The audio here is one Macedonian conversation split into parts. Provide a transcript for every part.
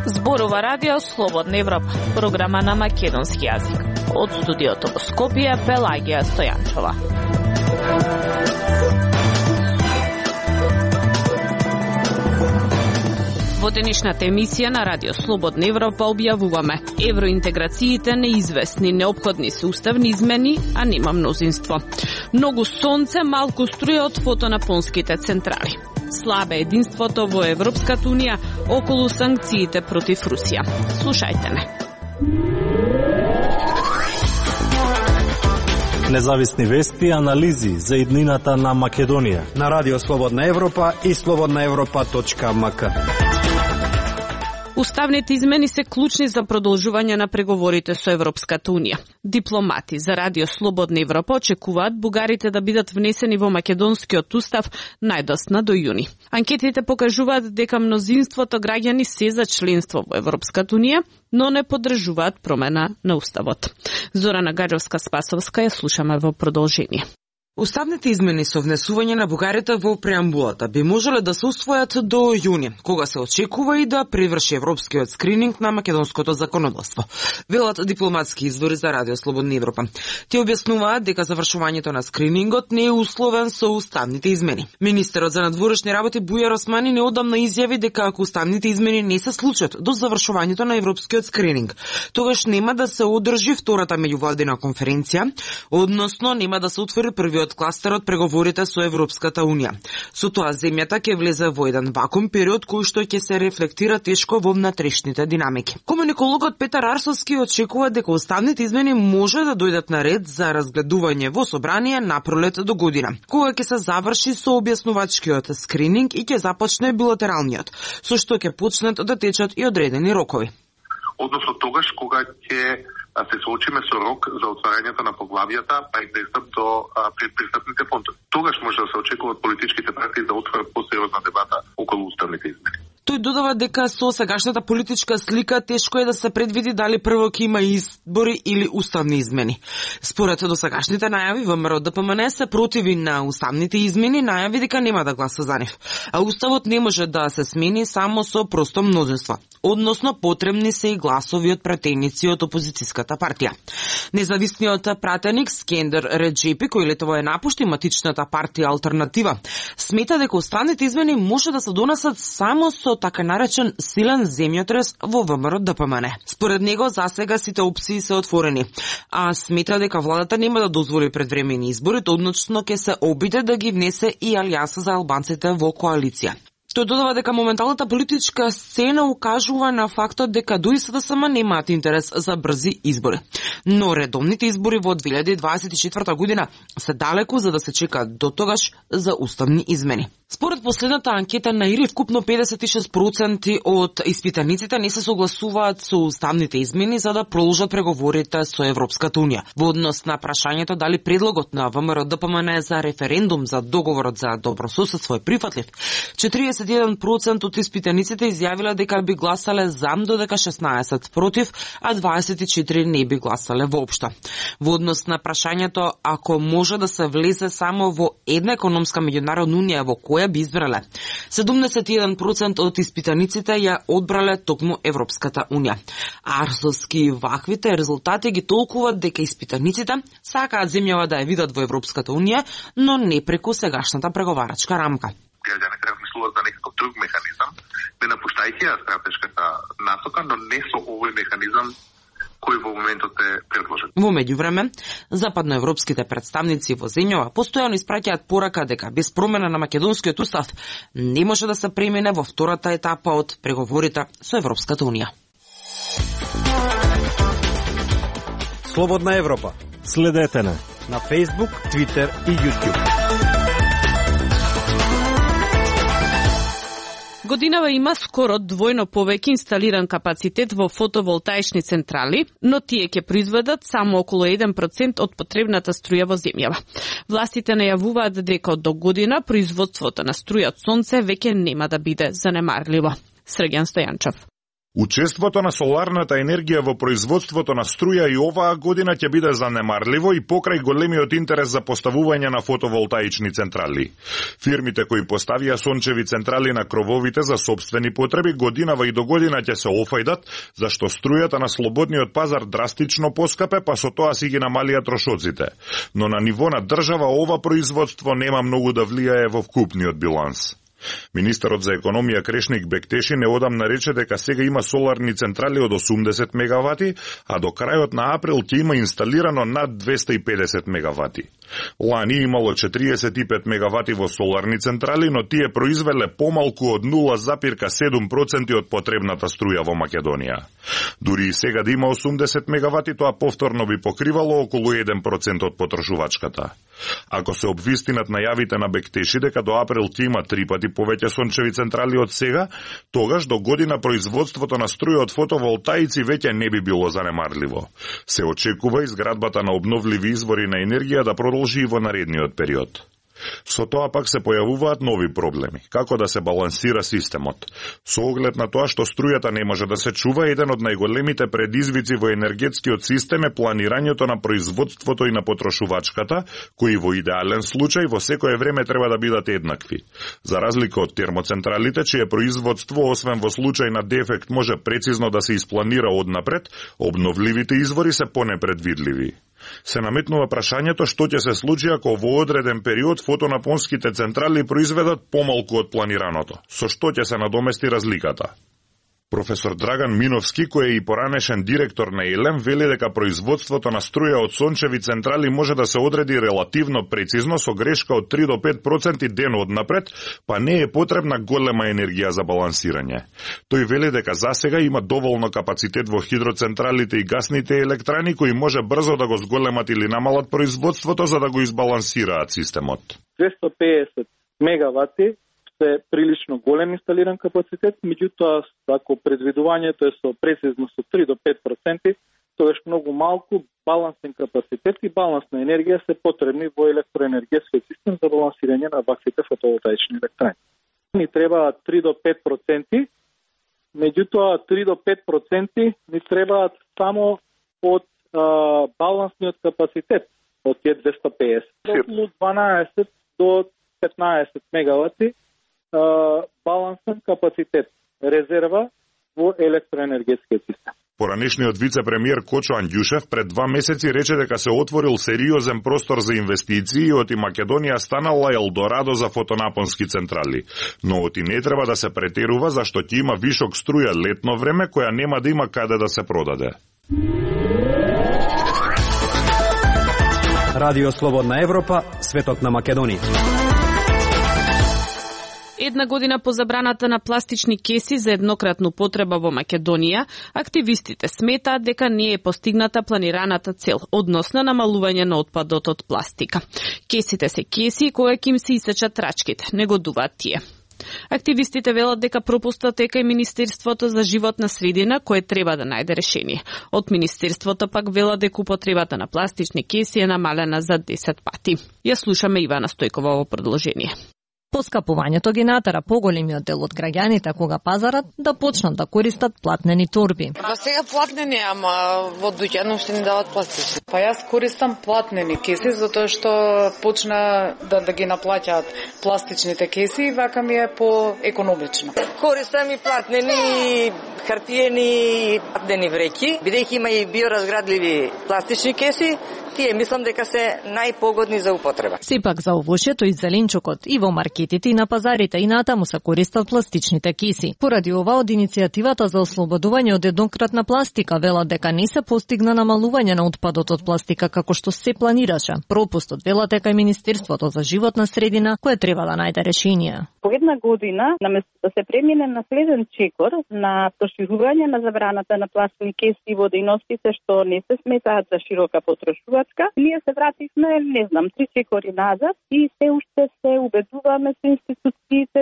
Зборува Радио Слободна Европа, програма на македонски јазик. Од студиото во Скопје, Пелагија Стојанчова. Во денешната емисија на Радио Слободна Европа објавуваме: евроинтеграциите неизвестни, неопходни се уставни измени, а нема мнозинство. Многу сонце, малку струја од фотонапонските централи. Слабе единството во Европската Унија околу санкциите против Русија. Слушајте ме. Независни вести и анализи за иднината на Македонија на Радио Слободна Европа и slobodnaevropa.mk. Уставните измени се клучни за продолжување на преговорите со Европската Унија. Дипломати за Радио Слободна Европа очекуваат бугарите да бидат внесени во македонскиот устав најдосна до јуни. Анкетите покажуваат дека мнозинството граѓани се за членство во Европската Унија, но не поддржуваат промена на уставот. Зорана Гаджовска-Спасовска ја слушаме во продолжение. Уставните измени со внесување на бугарите во преамбулата би можеле да се усвојат до јуни, кога се очекува и да приврши европскиот скрининг на македонското законодавство. Велат дипломатски извори за Радио Слободна Европа. Те објаснуваат дека завршувањето на скринингот не е условен со уставните измени. Министерот за надворешни работи Бујар Османи неодамна изјави дека ако уставните измени не се случат до завршувањето на европскиот скрининг, тогаш нема да се одржи втората меѓувладина конференција, односно нема да се отвори првиот кластер од преговорите со Европската Унија. Со тоа земјата ќе влезе во еден вакуум период кој што ќе се рефлектира тешко во внатрешните динамики. Комуникологот Петар Арсовски очекува дека уставните измени може да дојдат на ред за разгледување во собрание на пролет до година, кога ќе се заврши со објаснувачкиот скрининг и ќе започне билатералниот, со што ќе почнат да течат и одредени рокови. Односно тогаш кога ќе се соочиме со рок за отварањето на поглавијата, па и пристап до предпристапните фондови. Тогаш може да се очекува од политичките партии да отворат посериозна дебата околу уставните измени. Тој додава дека со сегашната политичка слика тешко е да се предвиди дали прво ќе има избори или уставни измени. Според досегашните најави, ВМРО ДПМН се противи на уставните измени, најави дека нема да гласа за нив. А уставот не може да се смени само со просто мнозинство. Односно, потребни се и гласови од пратеници од опозицијската партија. Независниот пратеник Скендер Реджепи, кој летово напушти матичната партија Алтернатива, смета дека уставните измени може да се донесат само со така наречен силен земјотрес во ВМРО ДПМН. Според него, засега сите опции се отворени, а смета дека владата нема да дозволи предвремени избори, односно ќе се обиде да ги внесе и алијанса за албанците во коалиција. Тој додава дека моменталната политичка сцена укажува на фактот дека ДСДСМ немаат интерес за брзи избори. Но редовните избори во 2024 година се далеку за да се чека до тогаш за уставни измени. Според последната анкета на ИРИ, вкупно 56% од испитаниците не се согласуваат со уставните измени за да продолжат преговорите со Европската Унија. Во однос на прашањето дали предлогот на ВМРО ДПМН за референдум за договорот за добрососедство е прифатлив, 41% од испитаниците изјавиле дека би гласале за, додека 16 против, а 24 не би гласале воопшто. Во однос на прашањето ако може да се влезе само во една економска меѓународна унија во која би избрале, 71% од испитаниците ја одбрале токму Европската Унија. Арсовски ваквите резултати ги толкуваат дека испитаниците сакаат земјава да ја видат во Европската Унија, но не преку сегашната преговарачка рамка. Граѓаните размислуваат за некаков друг механизам, не напуштајќи ја стратешката насока, но не со овој механизам кој во моментот е предложен. Во меѓувреме, западноевропските представници во земјава постојано испраќаат порака дека без промена на македонскиот устав не може да се премине во втората етапа од преговорите со Европската Унија. Слободна Европа. Следете на Facebook, Twitter и YouTube. Годинава има скоро двојно повеќе инсталиран капацитет во фотоволтаични централи, но тие ќе произведат само околу 1% од потребната струја во земјава. Властите најавуваат дека до година производството на струја од сонце веќе нема да биде занемарливо. Срѓан Стојанчов. Учеството на соларната енергија во производството на струја и оваа година ќе биде занемарливо и покрај големиот интерес за поставување на фотоволтаични централи. Фирмите кои поставија сончеви централи на крововите за сопствени потреби годинава и до година ќе се офајдат, зашто струјата на слободниот пазар драстично поскапе, па со тоа си ги намалија трошоците. Но на ниво на држава ова производство нема многу да влијае во вкупниот биланс. Министерот за економија Крешник Бектеши неодамна рече дека сега има соларни централи од 80 мегавати, а до крајот на април ќе има инсталирано над 250 мегавати. Лани имало 45 мегавати во соларни централи, но тие произвеле помалку од 0,7% од потребната струја во Македонија. Дури и сега да има 80 мегавати, тоа повторно би покривало околу 1% од потрошувачката. Ако се обвистинат најавите на Бектеши дека до април ќе има 3 пати повеќе сончеви централи од сега, тогаш до година производството на струја од фотоволтаици веќе не би било занемарливо. Се очекува изградбата на обновливи извори на енергија да продолжи и во наредниот период. Со тоа пак се појавуваат нови проблеми. Како да се балансира системот? Со оглед на тоа што струјата не може да се чува, еден од најголемите предизвици во енергетскиот систем е планирањето на производството и на потрошувачката, кои во идеален случај во секое време треба да бидат еднакви. За разлика од термоцентралите, чие производство, освен во случај на дефект, може прецизно да се испланира однапред, обновливите извори се понепредвидливи. Се наметнува прашањето што ќе се случи ако во одреден период фотонапонските централи произведат помалку од планираното. Со што ќе се надомести разликата? Професор Драган Миновски, кој е и поранешен директор на ЕЛЕМ, вели дека производството на струја од сончеви централи може да се одреди релативно прецизно со грешка од 3 до 5% ден однапред, па не е потребна голема енергија за балансирање. Тој вели дека засега има доволно капацитет во хидроцентралите и гасните електрани кои може брзо да го зголемат или намалат производството за да го избалансираат системот. 250 мегавати е прилично голем инсталиран капацитет, меѓутоа ако предвидувањето е со прецизно со 3 до 5%, тогаш многу малку балансен капацитет и балансна енергија се потребни во електроенергетскиот систем за балансирање на ваквите фотоволтаични електрани. Ни требаат 3 до 5%, меѓутоа 3 до 5% ни требаат само од балансниот капацитет од тие 250. Околу 12 до 15 мегавати балансен капацитет, резерва во електроенергетскиот систем. Поранешниот вице-премиер Кочо Андјушев пред 2 месеци рече дека се отворил сериозен простор за инвестиции и оти Македонија станала елдорадо за фотонапонски централи. Но оти не треба да се претерува зашто ќе има вишок струја летно време која нема да има каде да се продаде. Радио Слободна Европа, светот на Македонија. Една година по забраната на пластични кеси за еднократну потреба во Македонија, активистите сметаат дека не е постигната планираната цел, односно намалување на отпадот од пластика. Кесите се кеси кога ќе им се исечат трачките, негодуваат тие. Активистите велат дека пропустот е кај Министерството за животна средина, кое треба да најде решение. Од Министерството пак велат дека употребата на пластични кеси е намалена за 10 пати. Ја слушаме Ивана Стојкова во продолжение. Поскапувањето ги натера поголемиот дел од граѓаните кога пазарат да почнат да користат платнени торби. Па сега платнени, ама во дуќан уште не дават пластични. Па јас користам платнени кеси затоа што почна да ги наплаќаат пластичните кеси и вака ми е поекономично. Користам и платнени, хартиени, платнени вреќи, бидејќи има и биоразградливи пластични кеси. Тие мислам дека се најпогодни за употреба. Сепак за овошјето и зеленчукот и во маркетите и на пазарите и натаму се користат пластичните кеси. Поради ова од иницијативата за ослободување од еднократна пластика велат дека не се постигна намалување на отпадот од пластика како што се планираше. Пропустот велат дека е Министерството за животна средина кое треба да најде решение. По една година, наместо да се премине на следен чекор на проширување на забраната на пластични кеси во дејностите што не се сметаат за широка потрошувачка, ние се вративме, не знам, 3 чекори назад и се уште се убедуваме со институциите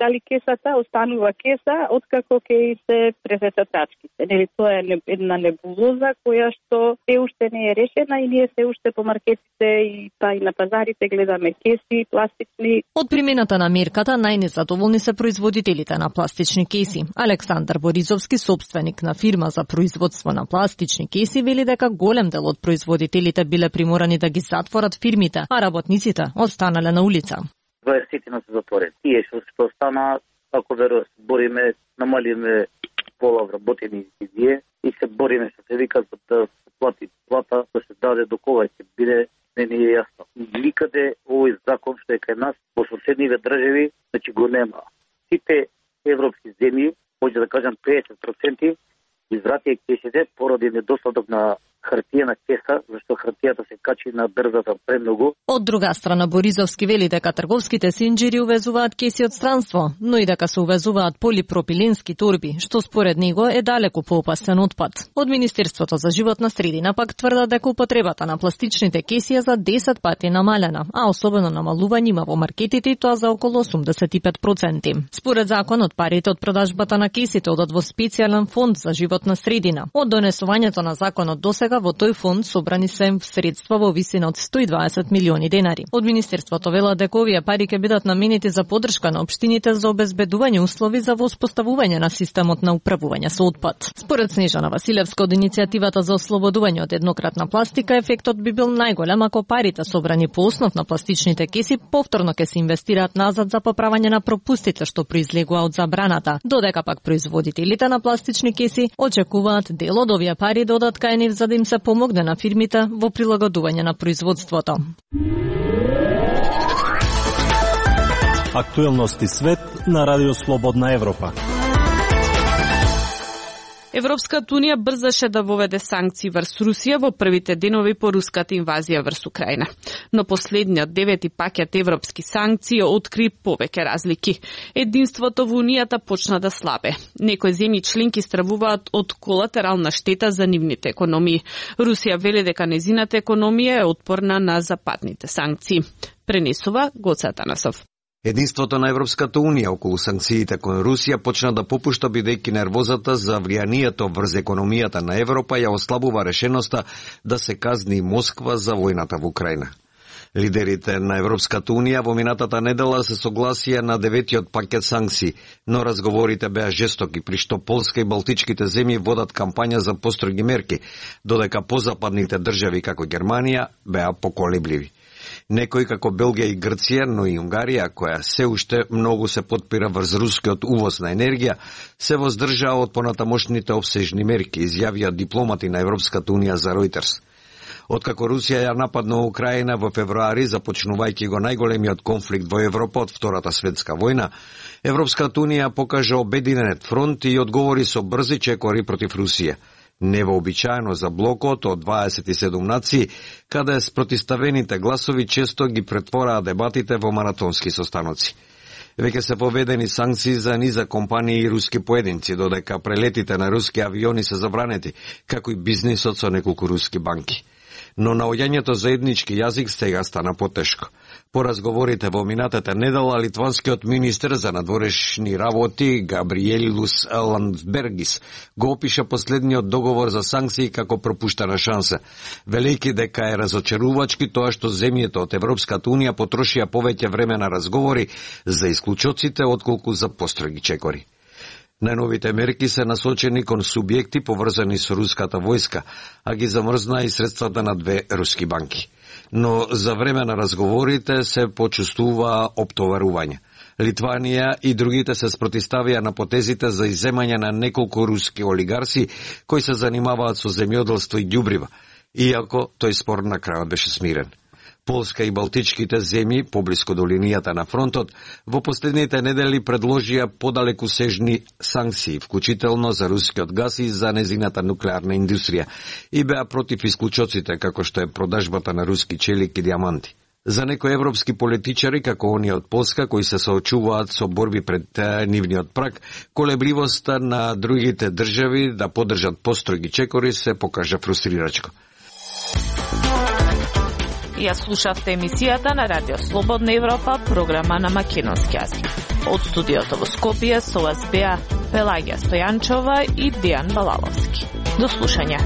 дали кесата останува кеса откако ќе се пресечат трачките. Нели тоа е една небулоза која што се уште не е решена и ние се уште по маркетите и па и на пазарите гледаме кеси пластични. Од примената на мерката најнезадоволни се производителите на пластични кеси. Александар Боризовски, собственик на фирма за производство на пластични кеси, вели дека голем дел од производителите биле приморани да ги затворат фирмите, а работниците останале на улица. 20 се затворени. Тие што остана, ако верувам, бориме, намалиме пола вработени изидие и се бориме што се вика за да се плати плата, да се даде до кога ќе биде, не е јасно. Никаде овој закон што е кај нас, во соседниве држави, значи го нема. Сите европски земји, може да кажам 50%, извратија кесите поради недостаток на хартиена кеса, зашто хартијата се качи на брзата премногу. Од друга страна, Боризовски вели дека трговските синџири увезуваат кеси од странство, но и дека се увезуваат полипропиленски торби, што според него е далеку поопасен отпад. Од Министерството за животна средина пак тврдат дека употребата на пластичните кеси е за 10 пати намалена, а особено намалување има во маркетите и тоа за околу 85%. Според законот, парите од продажбата на кесите одат во специјален фонд за животна средина. Од донесувањето на законот досега во тој фонд собрани се средства во висина од 120 милиони денари. Од Министерството велат дека овие пари ќе бидат наменети за поддршка на општините за обезбедување услови за воспоставување на системот на управување со отпад. Според Снежана Василевска од иницијативата за ослободување од еднократна пластика, ефектот би бил најголем ако парите собрани по основ на пластичните кеси повторно ќе се инвестираат назад за поправање на пропустите што произлегува од забраната, додека пак производителите на пластични кеси очекуваат дел од овие пари да одат кај нив за да им се помогне на фирмите во прилагодување на производството. Актуелности свет на Радио Слободна Европа. Европската унија брзаше да воведе санкции врз Русија во првите денови по руската инвазија врз Украина. Но последниот 9 пакет европски санкции откри повеќе разлики. Единството во унијата почна да слабе. Некои земји членки стравуваат од колатерална штета за нивните економии. Русија вели дека незината економија е отпорна на западните санкции. Пренесува Гоце Атанасов. Единството на Европската унија околу санкциите кон Русија почна да попушта бидејќи нервозата за влијанието врз економијата на Европа ја ослабува решеноста да се казни Москва за војната во Украина. Лидерите на Европската унија во минатата недела се согласија на 9-тиот пакет санкции, но разговорите беа жестоки, при што Полска и Балтичките земји водат кампања за построги мерки, додека позападните држави како Германија беа поколебливи. Некои како Белгија и Грција, но и Унгарија, која се уште многу се подпира врз рускиот увоз на енергија, се воздржаа од понатамошните обсежни мерки, изјавија дипломати на Европската унија за Reuters. Откако Русија ја нападна Украина во февруари, започнувајќи го најголемиот конфликт во Европа од Втората светска војна, Европската унија покажа обединет фронт и одговори со брзи чекори против Русија. Невообичаено за блокот од 27 нации, каде спротиставените гласови често ги претвораа дебатите во маратонски состаноци. Веќе се поведени санкции за низа компании и руски поединци, додека прелетите на руски авиони се забранети, како и бизнисот со неколку руски банки. Но наоѓањето заеднички јазик сега стана потешко. По разговорите во минатата недела, литванскиот министер за надворешни работи Габриелус Ландсбергис го опиша последниот договор за санкции како пропуштена шанса, велејќи дека е разочарувачки тоа што земјите од Европската унија потрошија повеќе време на разговори за исклучоците отколку за построги чекори. Најновите мерки се насочени кон субјекти поврзани со руската војска, а ги замрзна и средствата на 2 руски банки. Но за време на разговорите се почувствува оптоварување. Литванија и другите се спротиставија на потезите за изземање на неколку руски олигарси кои се занимаваат со земјоделство и ѓубрива, иако тој спор на крајот беше смирен. Полска и Балтичките земји, поблиску до линијата на фронтот, во последните недели предложија подалекусежни санкции, вклучително за рускиот газ и за незината нуклеарна индустрија, и беа против исклучоците, како што е продажбата на руски челик и диаманти. За некои европски политичари, како оние од Полска, кои се соочуваат со борби пред нивниот праг, колебливоста на другите држави да поддржат построги чекори се покажа фрустрирачко. Ја слушавте емисијата на Радио Слободна Европа, програма на македонски јазик. Од студиото во Скопје со вас беа Пелагија Стојанчова и Дејан Балаловски. До слушање.